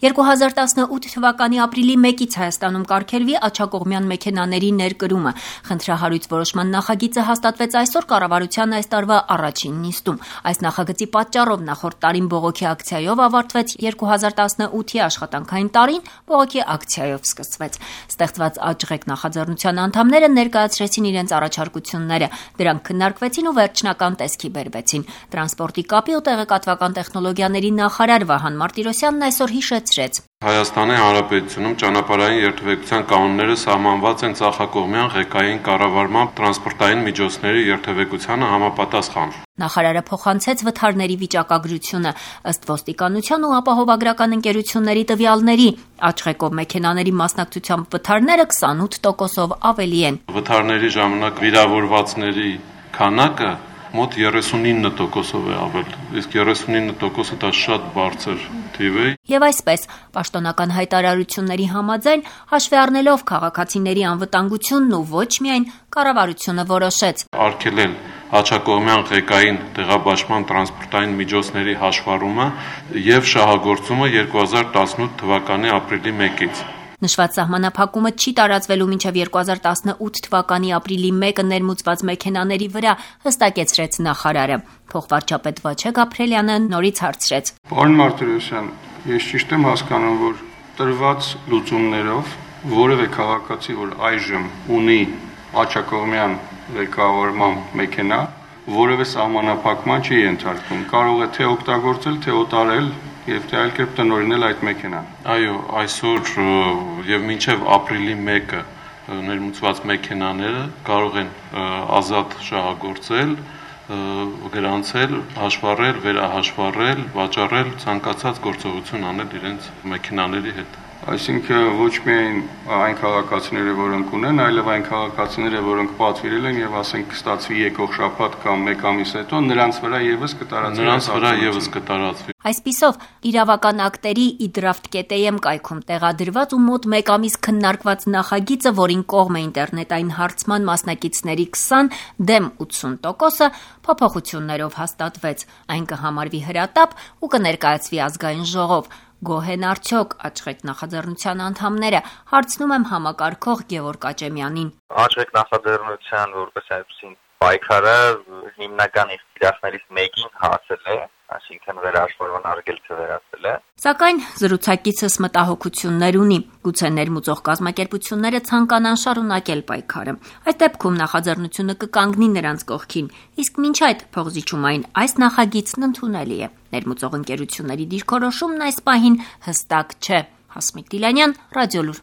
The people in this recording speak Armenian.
2018 թվականի ապրիլի 1-ից Հայաստանում կարգելվի աջակողմյան մեքենաների ներկրումը։ Խնդրահարույց որոշման նախագիծը հաստատվեց այսօր կառավարության այս տարվա առաջին նիստում։ Այս նախագծի պատճառով նախորդ տարին բողոքի ակցիայով ավարտվեց 2018-ի աշխատանքային տարին բողոքի ակցիայով սկսվեց։ Ստեղծված ԱՃՂԵԿ նախաձեռնության անդամները ներկայացրեցին իրենց առաջարկությունները։ Դրանք քննարկվեցին ու վերջնական տեսքի բերվեցին։ Տրանսպորտի կապի ու տեղեկատվական տեխնոլոգիաների նախարար Վահան Մարտիրոսյանն այսօր հիշեցրեց. Հայաստանի Հանրապետությունում ճանապարհային երթևեկության կանոնները սահմանված են ծախակողմյան ղեկային կառավարմամբ տրանսպորտային միջոցների երթևեկությանը համապատասխան։ Նախարարը փոխանցեց վթարների վիճակագրությունը ըստ ոստիկանության ու ապահովագրական ընկերությունների տվյալների։ ԱՃՂԵԿ-ով մեքենաների մասնակցությամբ վթարները 28%-ով ավելի են։ Վթարների ժամանակ վիրավորվածների քանակը մոտ 39%-ով է ավել, իսկ 39%-ը դա շատ բարձր թիվ է։ Եվ այսպես, պաշտոնական հայտարարությունների համաձայն, հաշվի առնելով քաղաքացիների անվտանգությունն ու ոչ միայն կառավարությունը որոշեց արգելել աջակողմյան ղեկային տեղաբաշխման տրանսպորտային միջոցների հաշվառումը եւ շահագործումը 2018 թվականի ապրիլի 1-ից։ Նշված սահմանափակումը չի տարածվելու մինչև 2018 թվականի ապրիլի 1-ը ներմուծված մեքենաների վրա, հստակեցրեց նախարարը։ Փոխվարչապետ Վաչե Գաբրելյանը նորից հարցրեց. Պարոն Մարտիրոսյան, ես ճիշտ եմ հասկանում, որ տրված լուծումներով որևէ քաղաքացի, որ այժմ ունի աջակողմյան ղեկավարման մեքենա, որևէ սահմանափակման չի ենթարկվում, կարող է թե օգտագործել, թե օտարել եւ թե այլ կերպ տնօրինել այդ մեքենան։ Այո, այսօր եւ մինչեւ ապրիլի 1-ը ներմուծված մեքենաները կարող են ազատ շահագործել, գրանցել, հաշվառել, վերահաշվառել, վաճառել, ցանկացած գործողություն անել իրենց մեքենաների հետ։ Այսինքն ոչ միայն այն քաղաքացիները, որոնք ունեն, այլև այն քաղաքացիները, որոնք պատվիրել են եւ ասենք կստացվի եկող շաբաթ կամ 1 ամիս հետո, նրանց վրա եւս կտարածվի։ Այսպիսով, իրավական ակտերի idraft.am կայքում տեղադրված ու մոտ 1 ամիս քննարկված նախագիծը, որին կողմ է ինտերնետային հարցման մասնակիցների 20, դեմ 80%-ը փոփոխություններով հաստատվեց։ Այն կհամարվի հրատապ ու կներկայացվի ազգային ժողով։ Գոհ են արդյոք ԱՃՂԵԿ նախաձեռնության անդամները, հարցնում եմ համակարգող Գևորգ Աճեմյանին։ ԱՃՂԵԿ նախաձեռնության որպես այդպիսին պայքարը հիմնական իր թիրախներից մեկին հասել է, այսինքն վերահաշվառման արգելքը վերացել է։ Սակայն զրուցակիցս մտահոգություններ ունի, գուցե ներմուծող կազմակերպությունները ցանկանան շարունակել պայքարը։ Այս դեպքում նախաձեռնությունը կկանգնի նրանց կողքին, իսկ մինչ այդ փողզիջումային այս նախագիծն ընդունելի է։ Ներմուծող ընկերությունների դիրքորոշումն այս պահին հստակ չէ։ Հասմիկ Դիլանյան, Ռադիոլուր։